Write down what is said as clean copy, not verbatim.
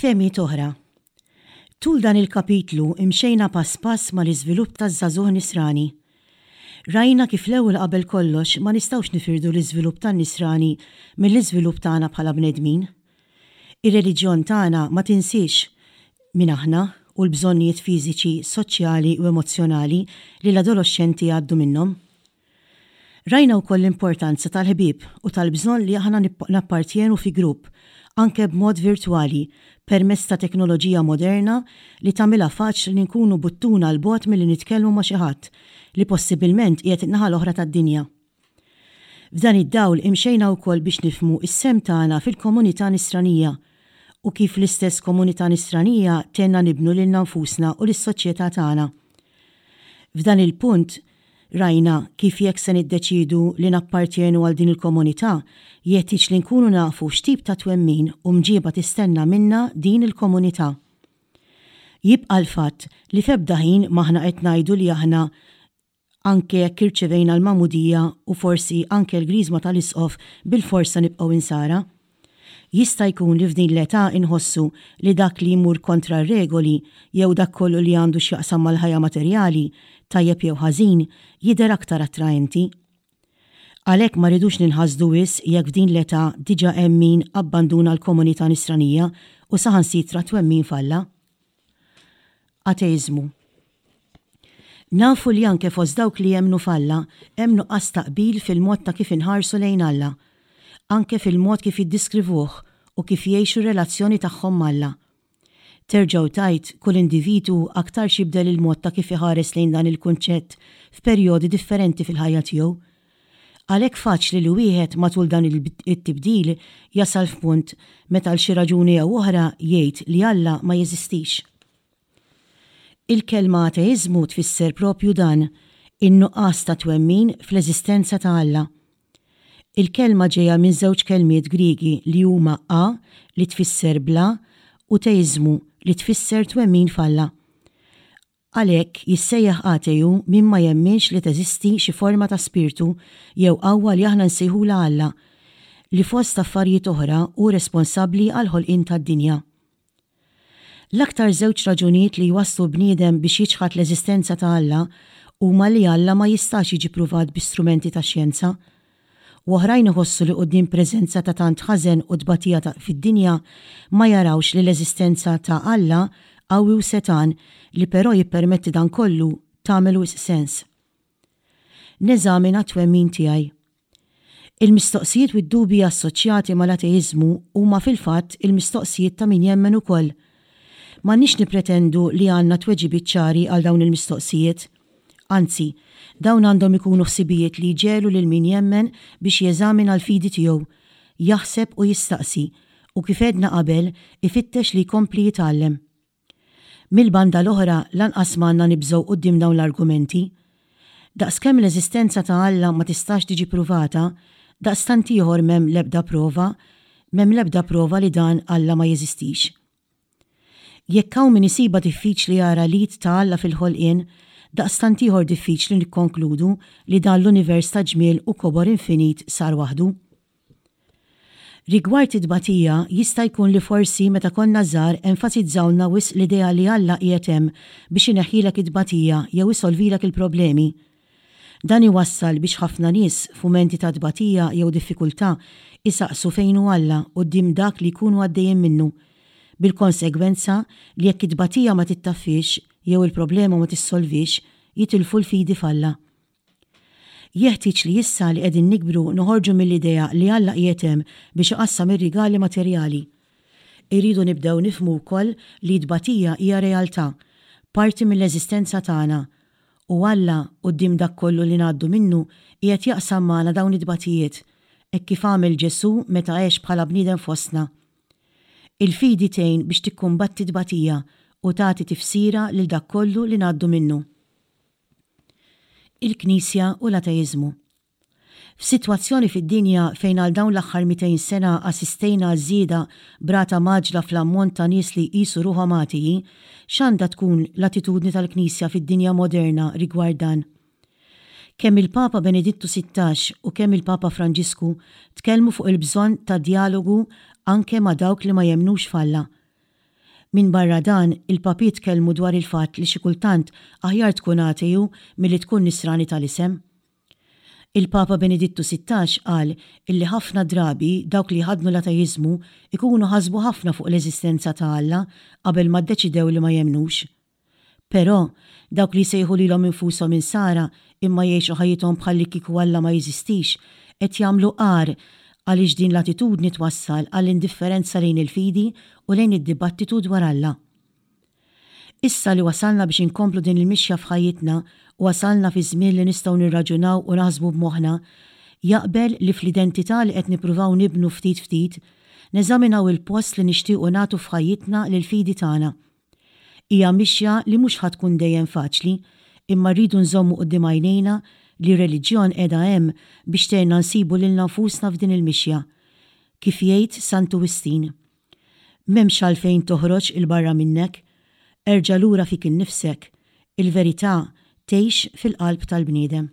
Fehmiet oħra. Tul dan il-kapitlu imxejna pass pass mal-iżvilupp taż-żagħżugħ Nisrani. Rajna kif l-ewwel qabel kollox ma nistgħux nifirdu l-iżvilupp tan-Nisrani mill-iżvilupp tagħna bħala bnedmin. Ir-reliġjon tagħna ma tinsiex min aħna u l-bżonnijiet fiżiċi, soċjali u emozzjonali li l-adoloxxenti jgħaddu minnhom. Rajna wkoll l-importanza tal-ħbieb u tal-bżonn li aħna nappartjenu fi grupp, anke b'mod virtwali, permezz ta' teknoloġija moderna li tagħmilha faċli li nkunu buttuna 'l bogħod milli nitkellmu ma' xi ħadd li possibilment qiegħed in-naħa l-oħra tad-dinja. F'dan id-dawl imxejna wkoll biex nifhmu s-sehem tagħna fil-komunità Nisranija u kif l-istess komunità Nisranija tgħinna nibnu lilna nfusna u lis-soċjetà tagħna. F'dan il-punt, rajna kif jekk se niddeċiedu li nappartjenu għal din il-komunità, jeħtieġ li nkunu nafu x'tip ta' twemmin u mġieba tistenna minna din il-komunità. Jibqa' l-fatt li f'ebda ħin m'aħna qed ngħidu li aħna anke jekk irċevejna l-magħmudija u forsi anke l-griżma tal-Isqof bilfors se nibqgħu Insara. Jista' jkun li f'din l-età inħossu li dak li jmur kontra r-regoli jew dak kollu li għandu x'jaqsam mal-ħajja materjali, tajjeb jew ħażin, jidher aktar attraenti. Għalhekk ma rridux ninħasdu wisq jekk f'din l-età diġà hemm min abbanduna l-komunità Nisranija u saħansitra t-twemmin f'Alla. Ateiżmu. Nafu li anke fost dawk li jemmnu f'Alla hemm nuqqas ta' qbil fil-mod ta' kif inħarsu lejn Alla, anke fil-mod kif jiddiskrivuh u kif jgħixu r-relazzjoni tagħhom m'Alla. Terġa' u tgħid, kull individwu aktarx jibdel il-mod ta' kif iħares lejn dan il-kunċett f'perjodi differenti fil-ħajja tiegħu. Għalhekk faċli li wieħed matul dan it-tibdil jasal f'punt meta għal xi raġuni jew oħra jgħid li Alla ma jeżistix. Il-kelma ateiżmu tfisser proprju dan, in-nuqqas ta' twemmin fl-eżistenza ta' Alla. Il-kelma ġejja minn żewġ kelmiet Griegi li huma a li tfisser bla u teiżmu li tfisser twemmin f'Alla. Għalhekk, jissejjaħ ateju min ma jemminx li teżisti xi forma ta' spirtu jew qawwa li aħna nsejħulha Alla, li fost affarijiet oħra hu responsabbli għall-ħolqien tad-dinja. L-aktar żewġ raġunijiet li jwasslu bniedem biex jiċħad l-eżistenza ta' Alla huma li Alla ma jistax jiġi pruvat bi strumenti tax-xjenza. U oħrajn iħossu li quddiem preżenza ta' tant ħażen u tbatija ta' fid-dinja ma jarawx li l-eżistenza ta' Alla qawwi u setgħan li però jippermetti dan kollu tagħmel wisq sens. Neżamina t-twemmin tiegħi. Il-mistoqsijiet u d-dubji assoċjati mal-ateiżmu huma fil-fatt il-mistoqsijiet ta' min jemmen ukoll. M'għandniex nippretendu li għandna tweġibiet ċari għal dawn il-mistoqsijiet. Anzi, dawn għandhom ikunu ħsibijiet li jġegħlu lil min jemmen biex jeżamina l-fidi tiegħu, jaħseb u jistaqsi, u kif għedna qabel, ifittex li jkompli jitgħallem. Mill-banda l-oħra lanqas m'għandna nibżgħu quddiem dawn l-argumenti. Daqskemm l-eżistenza ta' Alla ma tistax tiġi pruvata, daqstant ieħor m'hemm l-ebda prova m'hemm l-ebda prova li dan Alla ma jeżistix. Jekk hawn min isibha diffiċli jara l-id ta' Alla fil-ħolqien, daqstant ieħor diffiċli nikkonkludu li dan l-univers ta' ġmiel u kobor infinit sar waħdu. Rigward it-tbatija, jista' jkun li forsi meta konna żgħar enfasizzawlna wisq l-idea li Alla qiegħed hemm biex ineħħilek it-tbatija jew isolvilek il-problemi. Dan iwassal biex ħafna nies, f'mumenti ta' tbatija jew diffikultà, isaqsu fejn hu Alla quddiem dak li jkunu għaddejjin minnu, bil-konsegwenza li jekk it-tbatija ma tittaffiex jew il-problema ma tissolviex, jitilfu l-fidi f'Alla. Jeħtieġ li issa li qegħdin nikbru noħorġu mill-idea li Alla qiegħed hemm biex iqassam ir-rigali materjali. Irridu nibdew nifhmu wkoll li t-tbatija hija realtà, parti mill-eżistenza tagħna, u Alla, quddiem dak kollu li ngħaddu minnu, qiegħed jaqsam magħna dawn it-tbatijiet, hekk kif għamel Ġesù meta għex bħala bniedem fostna. Il-fidi tgħin biex tikkumbatti t-tbatija u tagħti tifsira lil dak kollu li ngħaddu minnu. Il-Knisja u l-ateiżmu. F'sitwazzjoni fid-dinja fejn għal dawn l-aħħar 200 sena assistejna għal żieda b'rata mgħaġġla fl-ammont ta' nies li jqisu ruħhom atei, x'għandha tkun l-attitudni tal-Knisja fid-dinja moderna rigward dan? Kemm il-Papa Benedittu 16 u kemm il-Papa Franġisku tkellmu fuq il-bżonn ta' djalogu anke ma' dawk li ma jemmnux f'Alla. Minbarra dan, il-Papiet tkellmu dwar il-fatt li xi kultant aħjar tkun ateju milli tkun Nisrani tal-isem. Il-Papa Benedittu 16 qal illi ħafna drabi dawk li jħaddnu l-ateiżmu jkunu ħasbu ħafna fuq l-eżistenza ta' Alla qabel ma ddeċidew li ma jemmnux. Però, dawk li jsejħu lilhom infushom Insara imma jgħixu ħajjithom bħallikieku Alla ma jeżistix, qed jagħmlu agħar għaliex din l-attitudni twassal għall-indifferenza lejn il-fidi u lejn id-dibattitu dwar Alla. Issa li wasalna biex inkomplu din il-mixja f'ħajjitna u wasalna fi żmien li nistgħu nirraġunaw u naħsbu b'moħħna, jaqbel li fl-identità li qed nippruvaw nibnu ftit ftit, neżaminaw il-post li nixtiequ nagħtu f'ħajjitna lill-fidi tagħna. Hija mixja li mhux ħa tkun dejjem faċli, imma rridu nżommu quddiem għajnejna li r-reliġjon qiegħda hemm biex tgħinna nsibu lilna nfusna f'din il-mixja. Kif jgħid Santu Wistin, M'hemmx għalfejn toħroġ 'il barra minnek, erġa' lura fik innifsek, il-verità tgħix fil-qalb tal-bniedem.